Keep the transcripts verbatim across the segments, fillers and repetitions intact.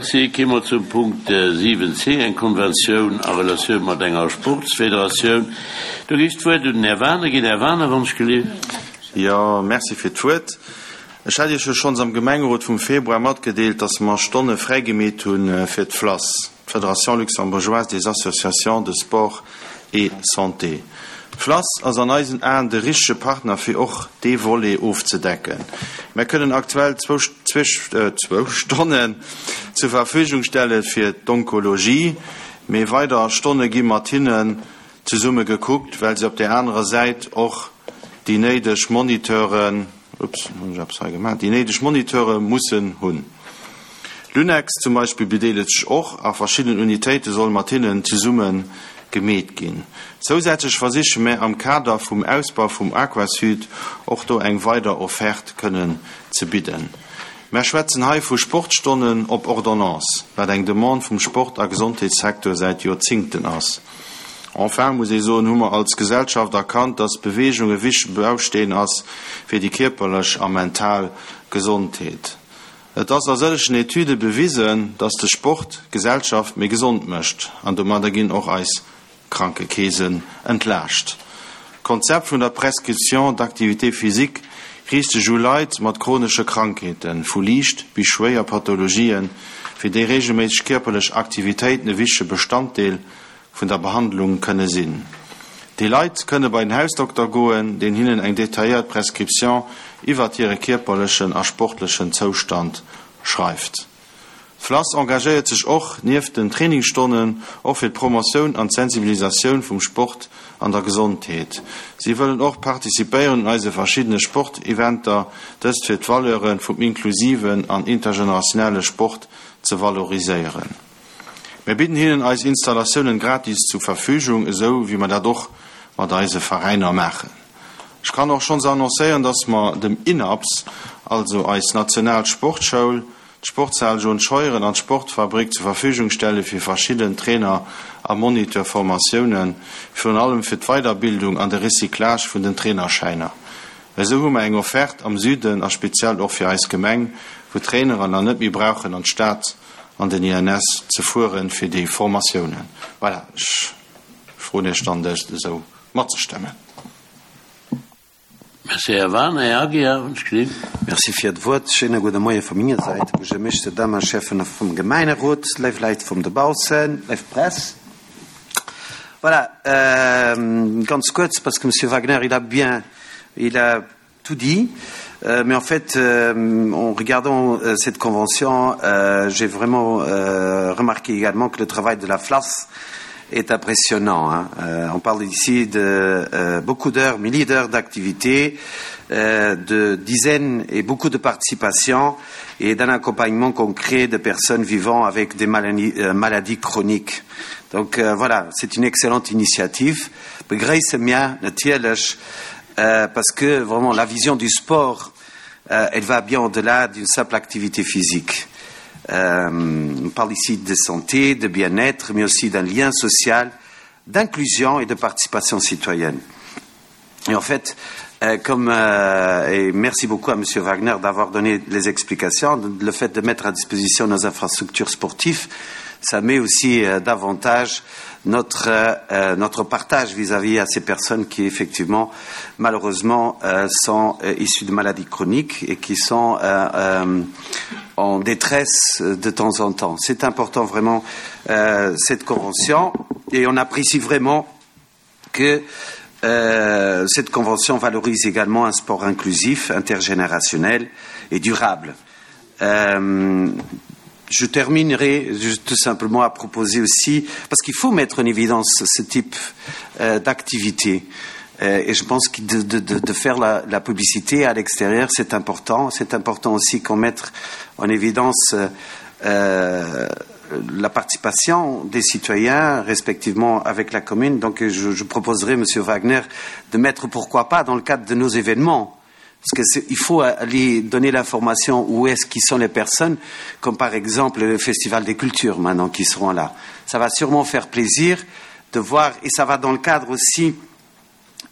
Merci. Gi mer zum Punkt siwen c, eng Konventioun a Relatioun mat enger Sportsfederatioun. Do géif ech d'Wuert un den Här Wagener ginn. Här Wagener, wann ech gelift. Jo, merci fir d'Wuert. Ech hat Iech jo schonns am Gemengerot vum Februar matgedeelt, dass mer Stonne fräigemeet hu fir d'FLASS, d'Fédération luxembourgeoise des associations de sport et santé. D'FLASS ass an eisen Aen de richtege Partner fir och dee Volet ofzedecken. Mär kënnen aktuell zwou zwou Stonnen zur Verfügung stelle fir d'Onkologie, mee weider Stonne gi mat hinnen zesumme gekuckt, well se op där anerer Säit och déi néideg Moniteuren, ups, hunn ech eppes hei gemaach, déi néideg Moniteure mussen hunn. L'UNEX zum Beispill bedeelegt sech och a verschiddenen Unitéite solle mat hinnen zesumme gemeet ginn. Zousätzlech versiche mär am Kader vum Ausbau vum Aquasud och do eng weider Offerte kënnen ze bidden. Mär schwätzen hei vu Sportstonnen op Ordonnance, wat eng Demande vum Sport a Gesondheetssecteur säit Joerzingten ass. Enfin, muss ee soen, hu mer als Gesellschaft erkannt, dass Beweegung e wichtege Bausteen ass fir déi kierperlech a mental Gesondheet. Et ass a sëllegen Etüde bewisen, dass de Sport d'Gesellschaft méi gesond mécht an domadder ginn och eis Krankekeesen entlaascht. D'Konzept vun der Prescription d'activité physique riicht sech u Leit mat chronesche Krankheeten, vu liicht bis schwéier Pathologien, fir déi reegelméisseg kierperlech Aktivitéiten e wichtege Bestanddeel vun der Behandlung kënne sinn. Déi Leit kënne bei den Hausdokter goen, deen hinnen eng detailléiert Prescription iwwert hire kierperlechen a sportlechen Zoustand schreift. D'FLASS engagéiert sech och, nieft den Trainingsstonnen, och fir d'Promotioun an d'Sensibilisatioun vum Sport an der Gesondheet. Si wëllen och participéieren un eise verschiddene Sporteventer, dëst fir d'Valeure vum inklusiven an intergenerationelle Sport ze valoriséieren. Mir bidden hinnen eis Installatiounen gratis zu Verfügung, esou wéi mer dat och mat eise Veräiner maachen. Ech kann och schonns annoncéieren, dass mer dem INAPS, also eis national Sportschoul, d'Sportshal John Scheuren an d'Sportfabrik zur Verfügung stelle fir verschidden Trainer a Moniteur-Formatiounen, virun allem fir d'Weiderbildung an de Recyclage vun den Trainerschäiner. Esou hu mer eng Offerte am Süden a speziell och fir eis Gemeng, wou d'Traineren dann net méi brauchen an d'Stad an den I N S ze fueren fir déi Formatiounen. Voilà, ech froen Iech dann, dëst esou matzestëmmen. Merci, Här Wagener. Här Aguiar, wann ech gelift. Merci fir d'Wuert. Schéine gudde Moie vu menger Säit. Buergermeeschter, Dammen, Schäffen vum Gemengerot, léif Leit vum dobaussen, léif Press. Voilà, euh, ganz kuerz, parce que Monsieur Wagner, il a bien, il a tout dit. Euh, mais en fait, euh, en regardant euh, cette convention, euh, j'ai vraiment euh, remarqué également que le travail de la FLAS est impressionnant. Hein. Euh, on parle ici de euh, beaucoup d'heures, milliers d'heures d'activité, euh, de dizaines et beaucoup de participations et d'un accompagnement concret de personnes vivant avec des maladies, euh, maladies chroniques. Donc euh, voilà, c'est une excellente initiative. Begréisse mir natierlech, euh, parce que vraiment la vision du sport, euh, elle va bien au-delà d'une simple activité physique. Euh, on parle ici de santé, de bien-être, mais aussi d'un lien social, d'inclusion et de participation citoyenne. Et en fait, euh, comme euh, et merci beaucoup à Monsieur Wagner d'avoir donné les explications, le fait de mettre à disposition nos infrastructures sportives, ça met aussi euh, davantage notre, euh, notre partage vis-à-vis à ces personnes qui effectivement malheureusement euh, sont euh, issues de maladies chroniques et qui sont euh, euh, en détresse de temps en temps. C'est important vraiment euh, cette convention et on apprécie vraiment que euh, cette convention valorise également un sport inclusif, intergénérationnel et durable. Euh, je terminerai tout simplement à proposer aussi, parce qu'il faut mettre en évidence ce type euh, d'activité. Euh, et je pense que de, de, de, de faire la, la publicité à l'extérieur, c'est important. C'est important aussi qu'on mette en évidence euh, la participation des citoyens, respectivement avec la commune. Donc je, je proposerai, Monsieur Wagner, de mettre, pourquoi pas, dans le cadre de nos événements, parce qu'il faut aller donner l'information où est-ce qu'ils sont les personnes, comme par exemple le Festival des cultures maintenant qui seront là. Ça va sûrement faire plaisir de voir, et ça va dans le cadre aussi,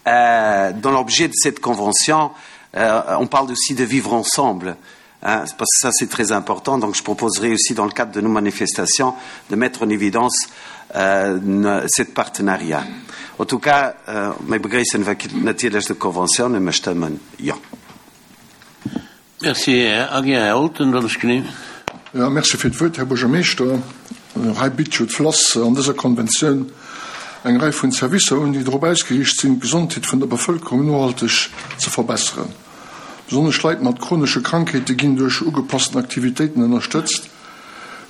euh, dans l'objet de cette convention, euh, on parle aussi de vivre ensemble. Hein, parce que ça, c'est très important. Donc, je proposerai aussi, dans le cadre de nos manifestations, de mettre en évidence euh, cette partenariat. En tout cas, euh, mir begréissen natierlech d'Konventioun, mir stëmmen jo. Merci, Här Aguiar. Här Olten, wat ass genehm? Ja, merci fir d'Wuert, Här Buergermeeschter. Hei bitt jo d'FLASS an dëser Konventioun eng Rei vun Servicer un, déi drop ausgeriicht sinn, d'Gesondheet vun der Bevëlkerung nohalteg ze verbesseren. Besonnesch Leit mat chronesche Krankheete ginn duerch ugepassten Aktivitéiten ënnerstëtzt,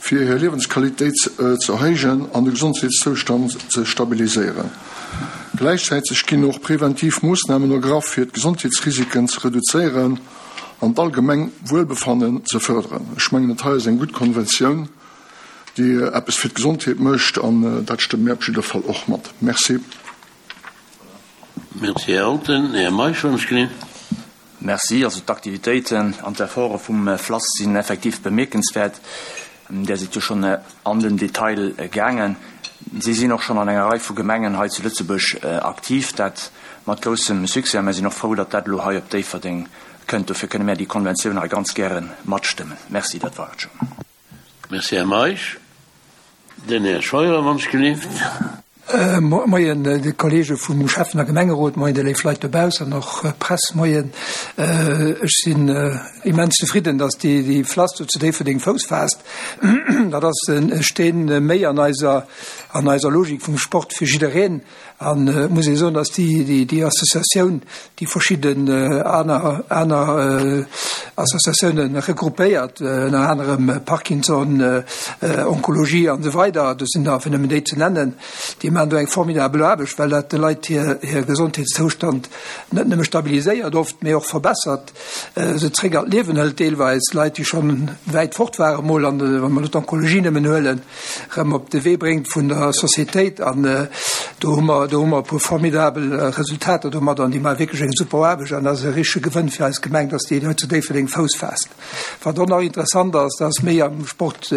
fir hir Liewensqualitéit ze erhéijen an de Gesondheetszoustand ze stabiliséieren. Gläichzäiteg ginn och preventiv Moossnamen ergraff, fir d'Gesondheetsrisiken ze reduzéieren an d'allgemeng Wuelbefannen ze fërderen. Ech mengen, dat hei ass eng gutt Konventioun, déi eppes fir d'Gesondheet mécht, an dat stëmme mir op jidder Fall och mat. Merci. Merci, Här Olten. Här Meisch, wann ech genehm. Merci. Also d'Aktivitéiten an d'Efforte vum FLASS sinn effektiv bemierkenswäert. Där sidd jo schonn an den Detail gaangen. Si sinn och schonn an enger Rei vu Gemengen hei zu Lëtzebuerg aktiv, dat mat groussem Succès. A mir sinn och frou, datt dat elo hei op Déifferdeng kënnt. Dofir kënne mär déi Konventioun hei ganz gäre matstëmmen. Merci, dat war et schonn. Merci, Här Meisch. Den Här Scheuer, wann ech gelift. Moien de Kollege vum Schäffen a Gemengerot, moien déi léif Leit dobaussen an och Press, moien. Ech sinn immens zefridden, datt déi déi FLASS do zu Déifferdeng Fouss faasst. Dat ass e Steen méi an eiser an eiser Logik vum Sport fir jiddereen. An et muss ee soen, datt déi déi Associatioun déi verschidden aner aner Associatiounen regroupéiert, ënner anerem Parkinson, Onkologie an esou weider, do sinn der, fir nëmmen déi ze nennen, déi maachen do eng formidabel Aarbecht, well dat de Leit hir hir Gesondheetszoustand net nëmme stabiliséiert oft, mee och verbessert, se zréck an d'Liewen hëlt deelweis, Leit, déi schonn wäit fort ware mol, an wa mer elo d'Onkologie nëmmen huelen, erëm op de Wee bréngt vun der Societéit. An do hu mer, do hu mer e puer formidabel Resultater domat an déi maache wierklech eng super Aarbecht an dat ass e richtege Gewënn fir eis Gemeng, dass déi hei zu Déifferdeng Fouss faasst. Wat och nach interessant ass, dat ass méi am Sport,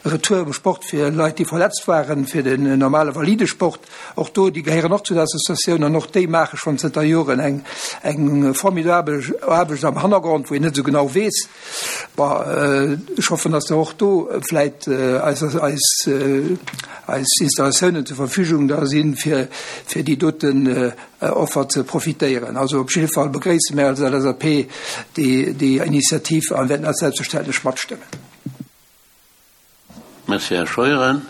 Retour am Sport fir Leit, déi verletzt waren, fir den normale Validesport. Och do, déi gehéieren och zu der Associatioun an och déi maache schonn zënter Joren eng, eng formidabel Aarbecht am Hannergrond, wou een net esou genau weess. Bon, ech hoffen, dass der och do vläit eis, eis, eis Installatiounen zur Verfügung da sinn, fir, fir déi doten Offer ze profitéieren. Also op jidde Fall begréisse mär als LSAP déi, déi Initiativ an wäerten dat selbstverständlech matstëmmen. Merci, Här Scheuren.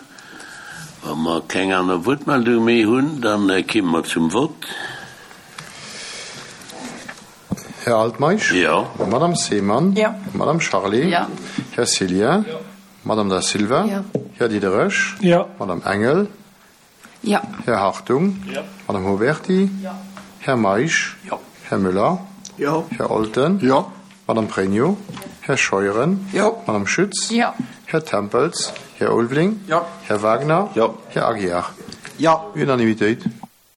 Wa mer keng aner Wuertmeldung méi hunn, da kimme mer zum Vott. Här Altmeisch? Jo. Madame Seemann? Jo. Madame Charlé? Jo. Här Cillien? Jo. Madame Da Silva? Jo. Här Diderich? Jo. Madame Engel? Jo. Här Hartung? Jo. Madame Huberty? Jo. Här Meisch? Jo. Här Müller? Jo. Här Olten? Jo. Madame Pregno? Här Scheuren? Jo. Madame Schütz? Jo. Här Tempels? Här Ulveling? Jo. Här Wagner? Jo. Här Aguiar? Jo. Unanimitéit.